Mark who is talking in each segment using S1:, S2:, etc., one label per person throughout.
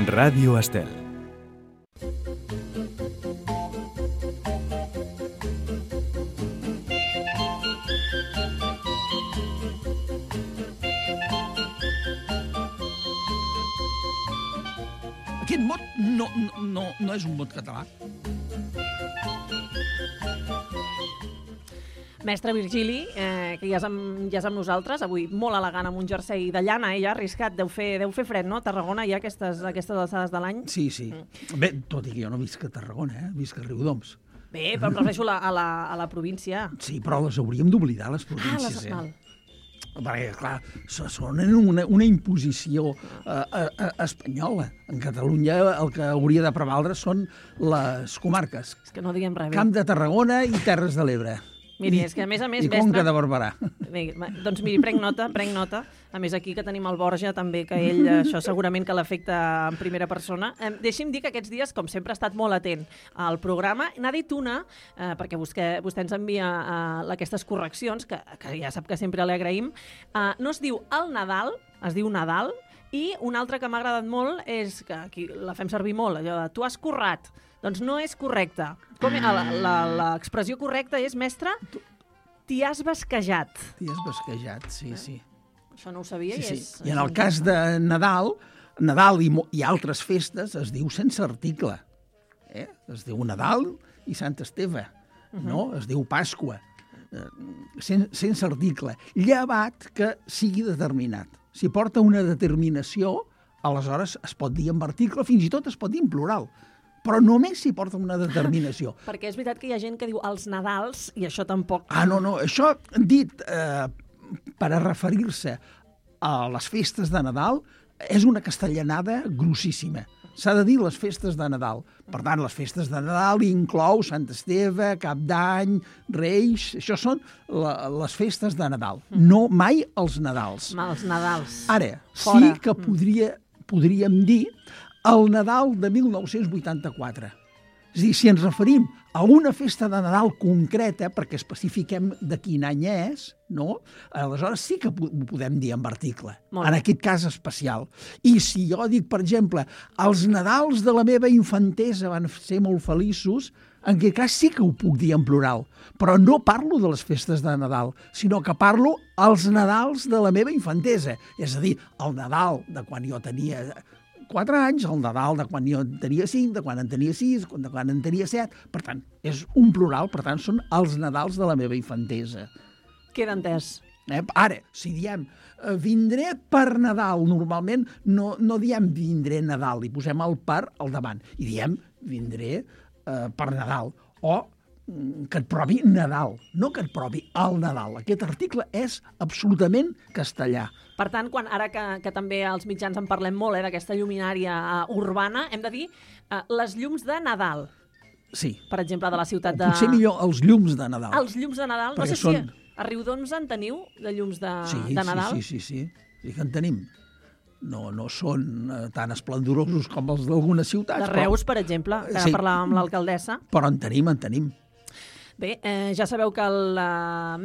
S1: Ràdio Estel.
S2: Aquest mot no és un mot català.
S3: Mestre Virgili, que ja és amb nosaltres, avui molt elegant amb un jersei de llana, ja arriscat, deu fer fred, no? A Tarragona hi ha aquestes alçades de l'any.
S2: Sí. Bé, tot i que jo no visc a Tarragona, visc a Riudoms.
S3: Bé, però em refereixo a la província.
S2: Sí, però les hauríem d'oblidar, les províncies.
S3: Val.
S2: Perquè, clar, són una imposició espanyola. En Catalunya el que hauria de prevaldre són les comarques.
S3: És que no diguem res bé.
S2: Camp de Tarragona i Terres de l'Ebre.
S3: Miri, és que a més,
S2: I Conca de Barberà.
S3: Doncs miri, prenc nota. A més, aquí que tenim el Borja també, que ell, això segurament que l'afecta en primera persona. Deixi'm dir que aquests dies, com sempre, ha estat molt atent al programa. N'ha dit una, perquè vostè ens envia aquestes correccions, que ja sap que sempre li agraïm. No es diu el Nadal, es diu Nadal, i una altra que m'ha agradat molt és, que aquí la fem servir molt, allò de tu has currat. Doncs no és correcte. L'expressió correcta és, mestre, t'hi has basquejat.
S2: T'hi has basquejat, sí.
S3: Això no ho sabia.
S2: Sí. I en el cas de Nadal i altres festes es diu sense article. Es diu Nadal i Sant Esteve, no? Es diu Pasqua. Sense article. Llevat que sigui determinat. Si porta una determinació, aleshores es pot dir en article, fins i tot es pot dir en plural. Però només si porta una determinació.
S3: Perquè és veritat que hi ha gent que diu els Nadals i això tampoc...
S2: No. Això dit per a referir-se a les festes de Nadal és una castellanada grossíssima. S'ha de dir les festes de Nadal. Per tant, les festes de Nadal inclou Sant Esteve, Cap d'Any, Reis... Això són les festes de Nadal. No mai els Nadals.
S3: Els Nadals.
S2: Ara, sí que podríem dir el Nadal de 1984. És a dir, si ens referim a una festa de Nadal concreta, perquè especifiquem de quin any és, no? Aleshores sí que ho podem dir en article, en aquest cas especial. I si jo dic, per exemple, els Nadals de la meva infantesa van ser molt feliços, en aquest cas sí que ho puc dir en plural, però no parlo de les festes de Nadal, sinó que parlo als Nadals de la meva infantesa. És a dir, el Nadal de quan jo tenia 4 anys, el Nadal de quan jo en tenia 5, de quan en tenia 6, de quan en tenia 7. Per tant, és un plural, per tant, són els Nadals de la meva infantesa.
S3: Queda entès.
S2: Ara, si diem vindré per Nadal, normalment no diem vindré Nadal, i posem el per al davant, i diem vindré per Nadal, o que et provi Nadal, no que et provi el Nadal. Aquest article és absolutament castellà.
S3: Per tant, ara que també als mitjans en parlem molt, d'aquesta lluminària urbana, hem de dir les llums de Nadal.
S2: Sí.
S3: Per exemple, de la ciutat de...
S2: Potser millor els llums de Nadal.
S3: Els llums de Nadal? No sé si a Riudoms en teniu, de llums de Nadal?
S2: Sí. Sí que en tenim. No són tan esplendorosos com els d'algunes ciutats.
S3: De Reus, per exemple, que ara parlàvem amb l'alcaldessa.
S2: Però en tenim.
S3: Bé, ja sabeu que el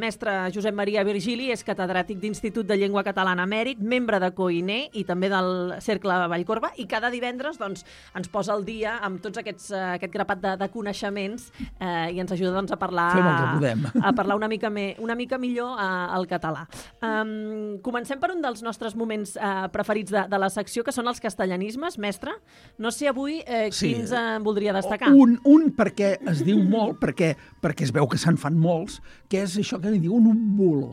S3: mestre Josep Maria Virgili és catedràtic d'Institut de Llengua Catalana Emèrit, membre de COINE i també del Cercle Vallcorba, i cada divendres ens posa al dia amb tots aquest grapat de coneixements i ens ajuda a parlar,
S2: fem el que podem.
S3: A parlar una mica millor el català. Comencem per un dels nostres moments preferits de la secció, que són els castellanismes. Mestre, no sé avui quins voldria destacar.
S2: Un perquè es diu molt, perquè es veu que se'n fan molts, que és això que li diuen un bulo,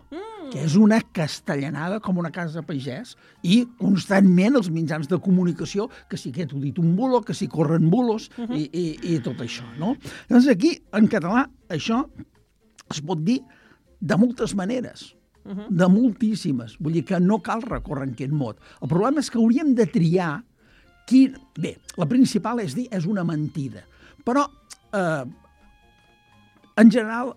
S2: que és una castellanada com una casa pagès, i constantment els mitjans de comunicació, que sí que t'ho dit un bulo, que sí corren bulos, i tot això, no? Llavors aquí, en català, això es pot dir de moltes maneres, de moltíssimes. Vull dir que no cal recórrer en aquest mot. El problema és que hauríem de triar Bé, la principal és dir és una mentida, però en general,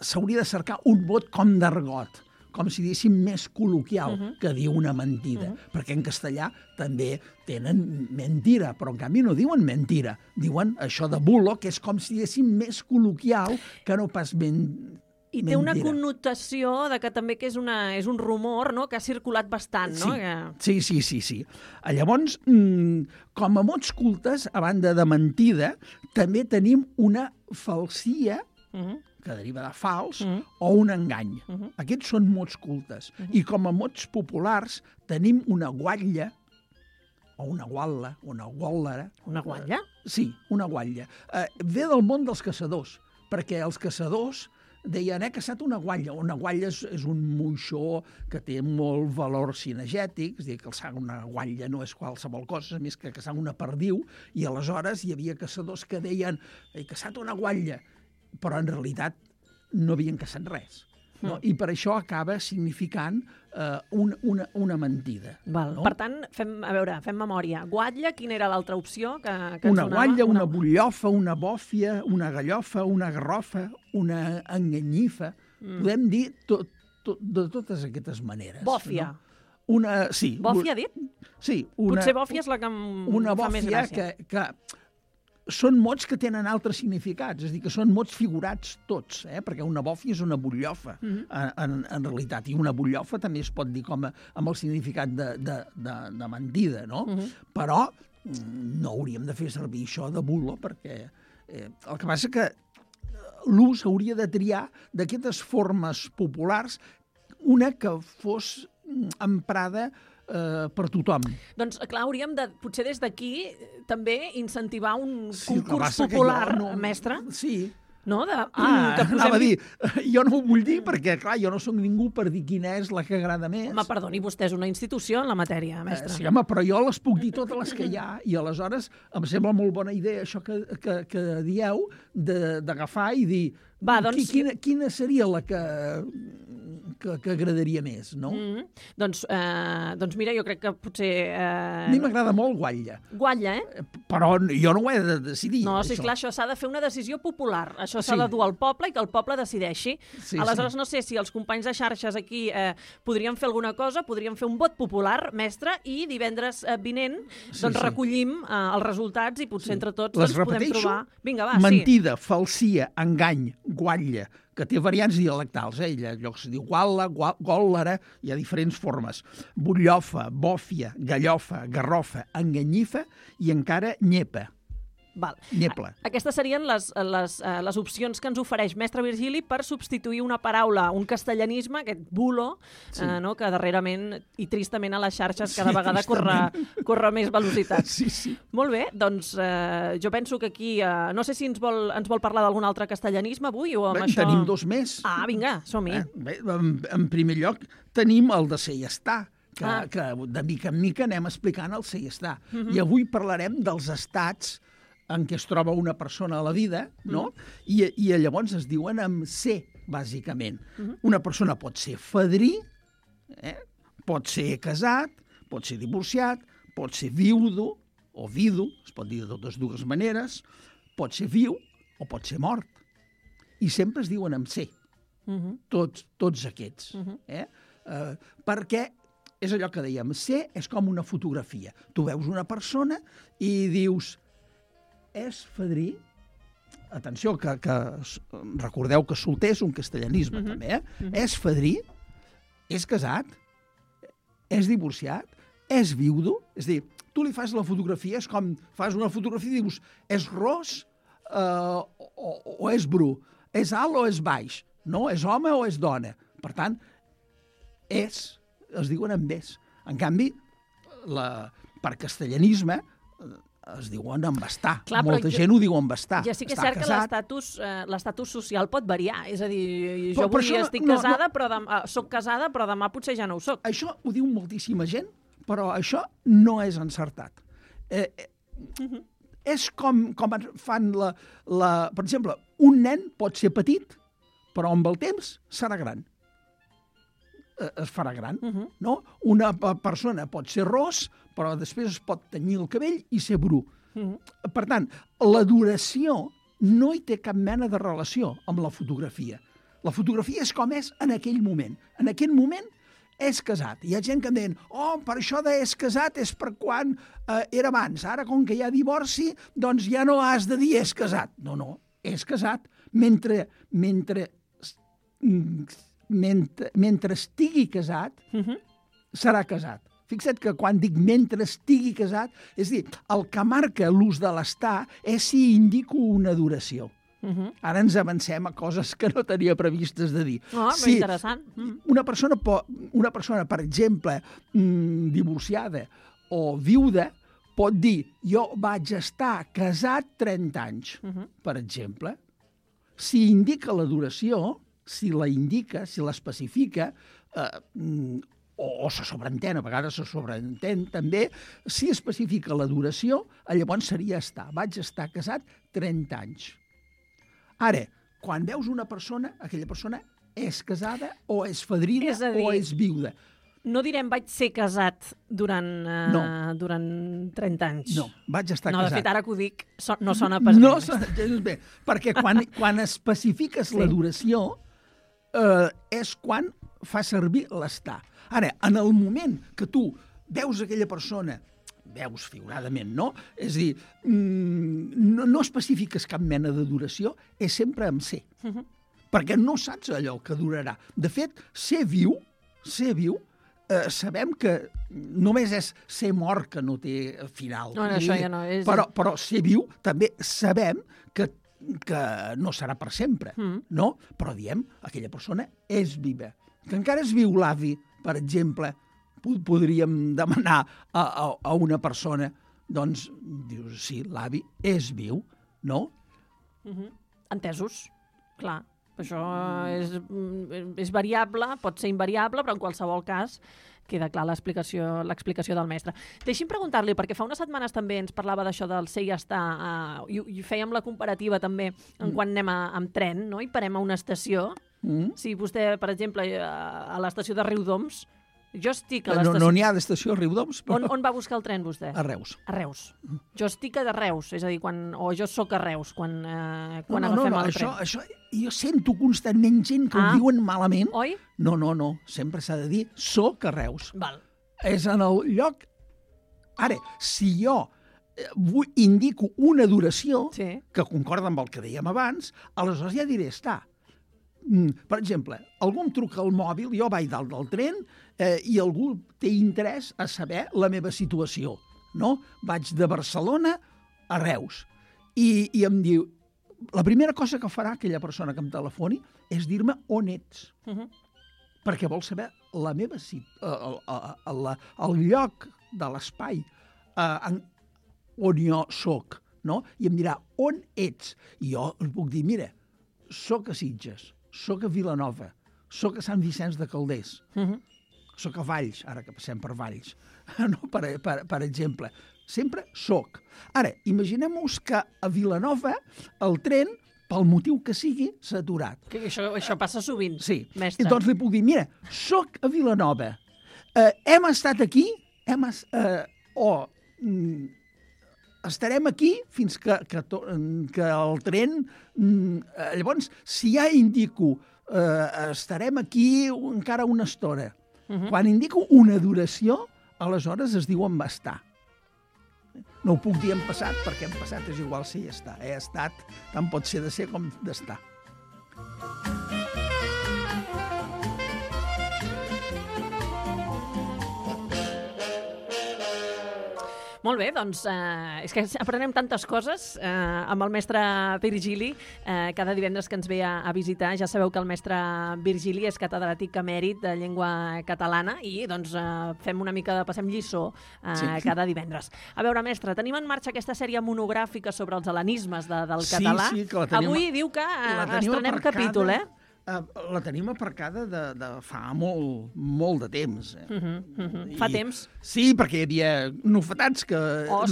S2: s'hauria de cercar un mot com d'argot, com si diguéssim més col·loquial que dir una mentida, perquè en castellà també tenen mentira, però en canvi no diuen mentira, diuen això de bulo, que és com si diguéssim més col·loquial que no pas
S3: I té una
S2: mentira.
S3: connotació de que també que és un rumor, no?, que ha circulat bastant, no?
S2: Sí. Llavors, com a mots cultes, a banda de mentida, també tenim una falsia, que deriva de fals, o un engany. Aquests són mots cultes. I com a mots populars tenim una guatlla, o una guatla, una guàllera.
S3: Una guatlla?
S2: Sí, una guatlla. Ve del món dels caçadors, perquè els caçadors deien, he caçat una guatlla. Una guatlla és un moixó que té molt valor cinegètic, és a dir, que caçar una guatlla no és qualsevol cosa, més que caçar una perdiu, i aleshores hi havia caçadors que deien, he caçat una guatlla, però en realitat no havien caçat res. No? I per això acaba significant una mentida.
S3: Val.
S2: No?
S3: Per tant, fem memòria. Guatlla, quina era l'altra opció que ens
S2: una
S3: donava?
S2: guatlla, una butllofa, una bòfia, una gallofa, una garrofa, una enganyifa. Podem dir de totes aquestes maneres.
S3: Bòfia.
S2: No? Sí.
S3: Bòfia, ha dit?
S2: Sí.
S3: Potser bòfia és la que
S2: una
S3: fa més
S2: bòfia
S3: gràcia.
S2: que són mots que tenen altres significats, és a dir, que són mots figurats tots, perquè una bòfia és una butllofa, en realitat, i una butllofa també es pot dir com amb el significat de mentida, no? Però no hauríem de fer servir això de bulo, perquè el que passa que l'ús hauria de triar d'aquestes formes populars una que fos emprada per tothom.
S3: Doncs, clar, hauríem de, potser des d'aquí, també incentivar un
S2: Sí,
S3: concurs
S2: que
S3: popular,
S2: jo
S3: mestre,
S2: Sí.
S3: no? Que
S2: Anava a dir, jo no ho vull dir perquè, clar, jo no sóc ningú per dir quina és la que agrada més.
S3: Home, perdoni, vostè és una institució en la matèria, mestre.
S2: Sí, home, però jo les puc dir totes les que hi ha i aleshores em sembla molt bona idea això que dieu d'agafar i dir
S3: Va, doncs...
S2: quina seria la que agradaria més, no?
S3: Doncs mira, jo crec que potser...
S2: A mi m'agrada molt guatlla.
S3: Guatlla,
S2: Però jo no ho he de decidir.
S3: No, sí,
S2: això.
S3: clar, això s'ha de fer una decisió popular. Això s'ha de dur al poble i que el poble decideixi.
S2: Sí,
S3: aleshores, no sé si els companys de xarxes aquí podrien fer alguna cosa, podrien fer un vot popular, mestre, i divendres vinent recollim els resultats i potser entre tots
S2: les
S3: podem
S2: repeteixo?
S3: trobar... Vinga, va,
S2: mentida, falsia, engany, guatlla, que té variants dialectals, allò que es diu guatla, gòllera, hi ha diferents formes. Butllofa, bòfia, gallofa, garrofa, enganyifa i encara nyepa.
S3: Val.
S2: Nyepla.
S3: Aquestes serien les opcions que ens ofereix mestre Virgili per substituir una paraula, un castellanisme, aquest bulo, no? Que darrerament i tristament a les xarxes cada vegada corre més velocitat.
S2: Sí.
S3: Molt bé, doncs jo penso que aquí, no sé si ens vol parlar d'algun altre castellanisme avui o amb això...
S2: Tenim dos més.
S3: Ah, vinga, som-hi.
S2: Bé, en primer lloc tenim el de ser i estar, que de mica en mica anem explicant el ser i estar. I avui parlarem dels estats en què es troba una persona a la vida, no? I llavors es diuen amb ser, bàsicament. Una persona pot ser fadrí, pot ser casat, pot ser divorciat, pot ser viudo o vidu, es pot dir de totes dues maneres, pot ser viu o pot ser mort. I sempre es diuen amb ser, tots aquests. Perquè és allò que dèiem, ser és com una fotografia. Tu veus una persona i dius... És fadrí, atenció, que recordeu que solter és un castellanisme, també, és fadrí, és casat, és divorciat, és viudo, és a dir, tu li fas la fotografia, és com fas una fotografia i dius, és ros o és bru, és alt o és baix, no? És home o és dona. Per tant, es diuen amb és. En canvi, per castellanisme, es diuen amb estar.
S3: Clar,
S2: molta gent ho diu amb estar.
S3: Ja sí que és
S2: estar
S3: cert
S2: casat.
S3: que l'estatus social pot variar. És a dir, jo
S2: Però
S3: avui
S2: això
S3: estic casada, però soc casada, però demà potser ja no ho soc.
S2: Això ho diu moltíssima gent, però això no és encertat. És com fan per exemple, un nen pot ser petit, però amb el temps serà gran. Es farà gran, no? Una persona pot ser ros, però després es pot tenyir el cabell i ser bru. Per tant, la duració no hi té cap mena de relació amb la fotografia. La fotografia és com és en aquell moment. En aquell moment és casat. Hi ha gent que em diuen, per això d'és casat és per quan era abans. Ara, com que hi ha divorci, doncs ja no has de dir és casat. No, és casat. Mentre mentre estigui casat, serà casat. Fixa't que quan dic mentre estigui casat, és a dir, el que marca l'ús de l'estar és si indico una duració. Ara ens avancem a coses que no tenia previstes de dir.
S3: Sí, interessant.
S2: Una persona, per exemple, divorciada o viuda, pot dir jo vaig estar casat 30 anys, per exemple. Si indica la duració, si la indica, si l'especifica, o se sobreentén, a vegades se sobreentén també, si especifica la duració, llavors seria estar. Vaig estar casat 30 anys. Ara, quan veus una persona, aquella persona és casada o és fadrina o és viuda.
S3: No direm vaig ser casat durant 30 anys.
S2: No, vaig estar casat.
S3: No, de fet, ara que ho dic, no sona pas
S2: no, bé, perquè quan especifiques la duració és quan fa servir l'estar. Ara, en el moment que tu veus aquella persona, veus figuradament, no? És a dir, no especifiques cap mena de duració, és sempre amb ser. Perquè no saps allò que durarà. De fet, ser viu, sabem que només és ser mort que no té final.
S3: No, això ja no és...
S2: Però ser viu també sabem que no serà per sempre, no? Però diem, aquella persona és viva. Que encara és viu l'avi, per exemple, podríem demanar a una persona, doncs, dius, sí, l'avi és viu, no?
S3: Entesos, clar. Això és variable, pot ser invariable, però en qualsevol cas queda clar l'explicació del mestre. Deixi'm preguntar-li, perquè fa unes setmanes també ens parlava d'això del ser i estar, i fèiem la comparativa també quan anem amb tren, no? I parem a una estació. Si vostè, per exemple, a l'estació de Riudoms, jo estic a l'estació...
S2: No n'hi ha d'estació a Riudoms, però...
S3: On va buscar el tren, vostè?
S2: A Reus.
S3: A Reus. Jo estic a Reus, és a dir, o jo sóc a Reus, quan agafem el tren.
S2: Això, jo sento constantment gent que ho diuen malament.
S3: Oi?
S2: No, sempre s'ha de dir soc a Reus.
S3: Val.
S2: És en el lloc... Ara, si jo indico una duració que concorda amb el que dèiem abans, aleshores ja diré estar. Per exemple, algú em truca al mòbil, jo vaig dalt del tren i algú té interès a saber la meva situació, no? Vaig de Barcelona a Reus i em diu, la primera cosa que farà aquella persona que em telefoni és dir-me on ets, perquè vol saber la meva el lloc de l'espai on jo soc, no? I em dirà on ets, i jo li puc dir, mira, soc a Sitges, soc a Vilanova, soc a Sant Vicenç de Calders, soc a Valls, ara que passem per Valls, no? per exemple. Sempre soc. Ara, imaginem-nos que a Vilanova el tren, pel motiu que sigui, s'ha aturat.
S3: Això passa sovint, mestre.
S2: I doncs li puc dir, mira, soc a Vilanova, hem estat aquí, estarem aquí fins que el tren... Llavors, si ja indico estarem aquí encara una estona, quan indico una duració, aleshores es diu en estar. No ho puc dir en passat, perquè en passat és igual si hi està. He estat, tant pot ser de ser com d'estar.
S3: Molt bé, doncs és que aprenem tantes coses amb el mestre Virgili cada divendres que ens ve a visitar. Ja sabeu que el mestre Virgili és catedràtic emèrit de llengua catalana i doncs passem lliçó cada divendres. A veure, mestre, tenim en marxa aquesta sèrie monogràfica sobre els hel·lenismes del català.
S2: Sí, que la tenim.
S3: Avui diu que estrenem capítol,
S2: La tenim aparcada de fa molt de temps.
S3: Fa temps?
S2: Sí, perquè hi havia novetats,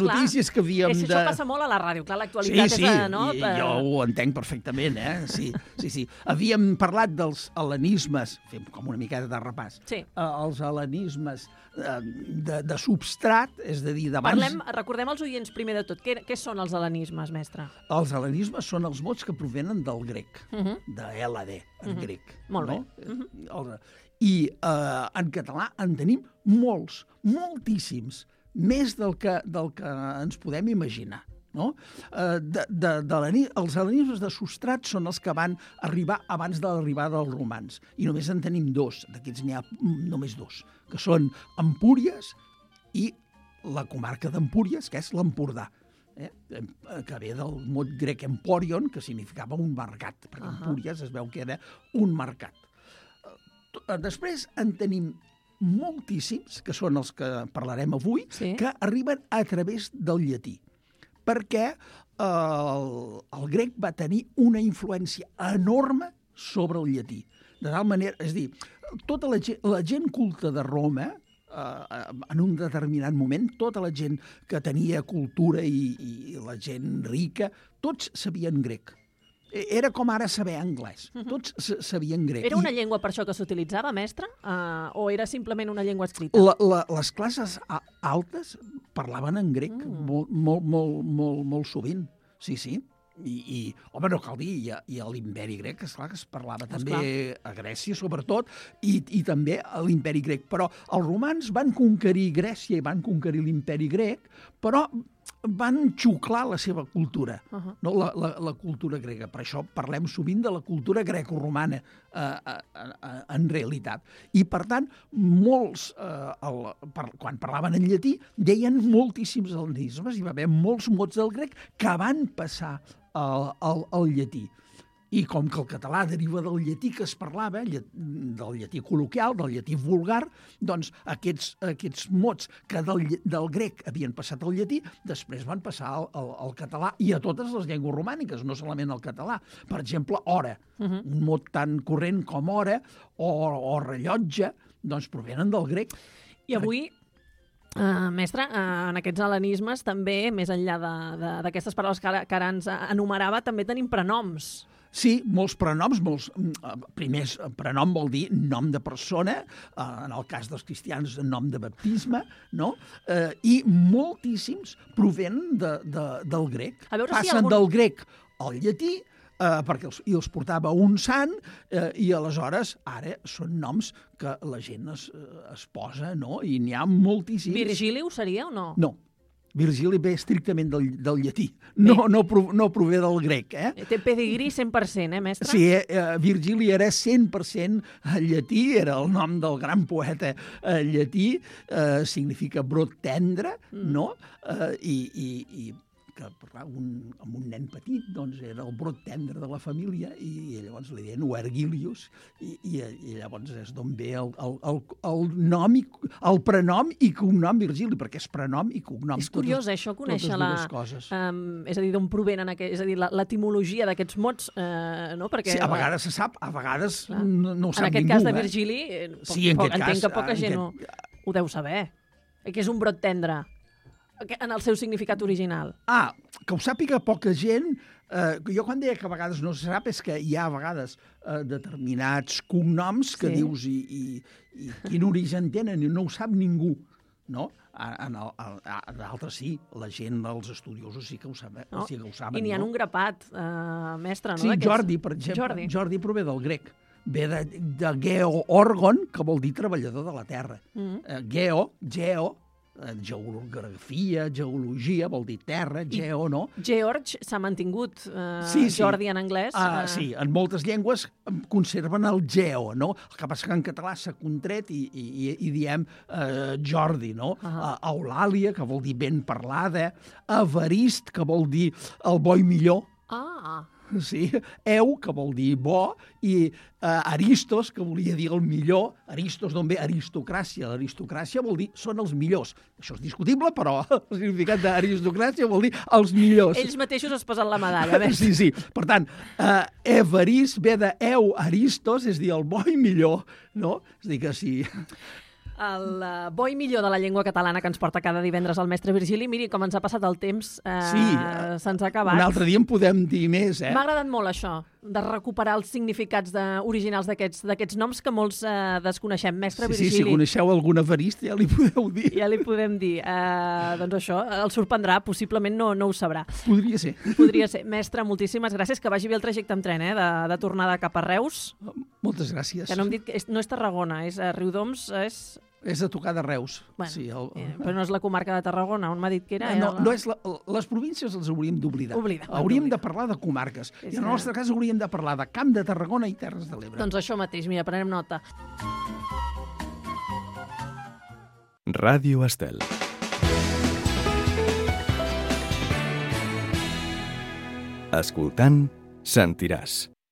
S2: notícies que havíem de...
S3: Això passa molt a la ràdio, clar, l'actualitat és...
S2: No? Jo ho entenc perfectament, Sí. Havíem parlat dels hel·lenismes, fem com una miqueta de repàs, els hel·lenismes de substrat, és a dir, d'abans...
S3: Recordem als oients primer de tot, què són els hel·lenismes, mestre?
S2: Els hel·lenismes són els mots que provenen del grec, de LD, en grec.
S3: Molt bé.
S2: I en català en tenim molts, moltíssims, més del que ens podem imaginar, no? Els hel·lenismes de substrat són els que van arribar abans de l'arribada dels romans, i només en tenim dos, d'aquests n'hi ha només dos, que són Empúries i la comarca d'Empúries, que és l'Empordà, que ve del mot grec emporion, que significava un mercat, perquè Empúries es veu que era un mercat. Després en tenim moltíssims, que són els que parlarem avui, que arriben a través del llatí, perquè el grec va tenir una influència enorme sobre el llatí. De tal manera, és a dir, tota la gent culta de Roma, en un determinat moment, tota la gent que tenia cultura i la gent rica, tots sabien grec. Era com ara saber anglès. Tots sabien grec.
S3: Era una llengua per això que s'utilitzava, mestre? O era simplement una llengua escrita?
S2: Les classes altes parlaven en grec molt sovint. Sí, sí. Home, no cal dir, i a l'Imperi Grec, esclar, que es parlava també a Grècia, sobretot, i també a l'Imperi Grec. Però els romans van conquerir Grècia i van conquerir l'Imperi Grec, però van xuclar la seva cultura, no? La cultura grega. Per això parlem sovint de la cultura greco-romana, en realitat. I, per tant, molts, quan parlaven en llatí, deien moltíssims hel·lenismes. Hi va haver molts mots del grec que van passar al llatí. I com que el català deriva del llatí que es parlava, del llatí col·loquial, del llatí vulgar, doncs aquests mots que del grec havien passat al llatí, després van passar al català i a totes les llengües romàniques, no solament al català. Per exemple, hora, un mot tan corrent com hora o rellotge, doncs provenen del grec.
S3: I avui, mestre, en aquests hel·lenismes també, més enllà d'aquestes paraules que ara ens enumerava, també tenim prenoms.
S2: Sí, molts prenoms. Primers, prenom vol dir nom de persona, en el cas dels cristians, nom de baptisme, no? I moltíssims provenen del grec. Passen del grec al llatí, perquè els portava un sant, i aleshores ara són noms que la gent es posa, no? I n'hi ha moltíssims.
S3: Virgili ho seria o no?
S2: No. Virgili ve estrictament del llatí, no prové del grec.
S3: Té pedigrí 100%, mestre?
S2: Sí, Virgili era 100% llatí, era el nom del gran poeta llatí, significa brot tendre, no? I que amb un nen petit, doncs era el brot tendre de la família, i llavors li deien Vergilius, i llavors és d'on ve el nom, el prenom i cognom Virgili, perquè és prenom i cognom.
S3: És curiós, això, conèixer és a dir, d'on provenen, és a dir, l'etimologia d'aquests mots, no?
S2: Sí, a vegades se sap, a vegades no ho sap ningú.
S3: En aquest cas de Virgili, entenc que poca gent ho deu saber, que és un brot tendre en el seu significat original.
S2: Que ho sàpiga poca gent. Jo quan deia que a vegades no se sap és que hi ha a vegades determinats cognoms que dius i quin origen tenen i no ho sap ningú, no? D'altres sí, la gent dels estudiosos sí que ho saben.
S3: I n'hi ha un grapat, mestre, no?
S2: Sí, Jordi, per exemple. Jordi prové del grec. Ve de geo-orgon, que vol dir treballador de la terra. Geo, geografia, geologia, vol dir terra, geo, no?
S3: George s'ha mantingut, Jordi en anglès.
S2: Sí, en moltes llengües conserven el geo, no? El que passa que en català s'ha contret i diem Jordi, no? Eulàlia, que vol dir ben parlada, Evarist, que vol dir el bo i millor. Sí, eu, que vol dir bo, i Aristos, que volia dir el millor. Aristos d'on ve? Aristocràcia. L'aristocràcia vol dir són els millors. Això és discutible, però el significat d'aristocràcia vol dir els millors.
S3: Ells mateixos es posen la medalla.
S2: Sí. Per tant, Evarist ve de eu Aristos, és dir, el bo i millor, no? És dir, que sí.
S3: El bo i millor de la llengua catalana que ens porta cada divendres el mestre Virgili. Miri, com ens ha passat el temps, se'ns ha acabat.
S2: Un altre dia en podem dir més,
S3: M'ha agradat molt això, de recuperar els significats originals d'aquests noms que molts desconeixem. Mestre Virgili.
S2: Sí, si coneixeu algun Evarist ja li podeu dir.
S3: Ja li podem dir. Doncs això, el sorprendrà, possiblement no ho sabrà.
S2: Podria ser.
S3: Podria ser. Mestre, moltíssimes gràcies, que vagi bé el trajecte amb tren, de tornada cap a Reus.
S2: Moltes gràcies.
S3: Que no hem dit que no és Tarragona, és Riudoms, és
S2: És a tocar de Reus.
S3: Bueno,
S2: Sí,
S3: però no és la comarca de Tarragona, on m'ha dit que era?
S2: No és les províncies les hauríem d'oblidar. Hauríem de parlar de comarques. I en el nostre cas hauríem de parlar de Camp de Tarragona i Terres de l'Ebre.
S3: Doncs això mateix, mira, prenem nota.
S1: Ràdio Estel. Escoltant, sentiràs.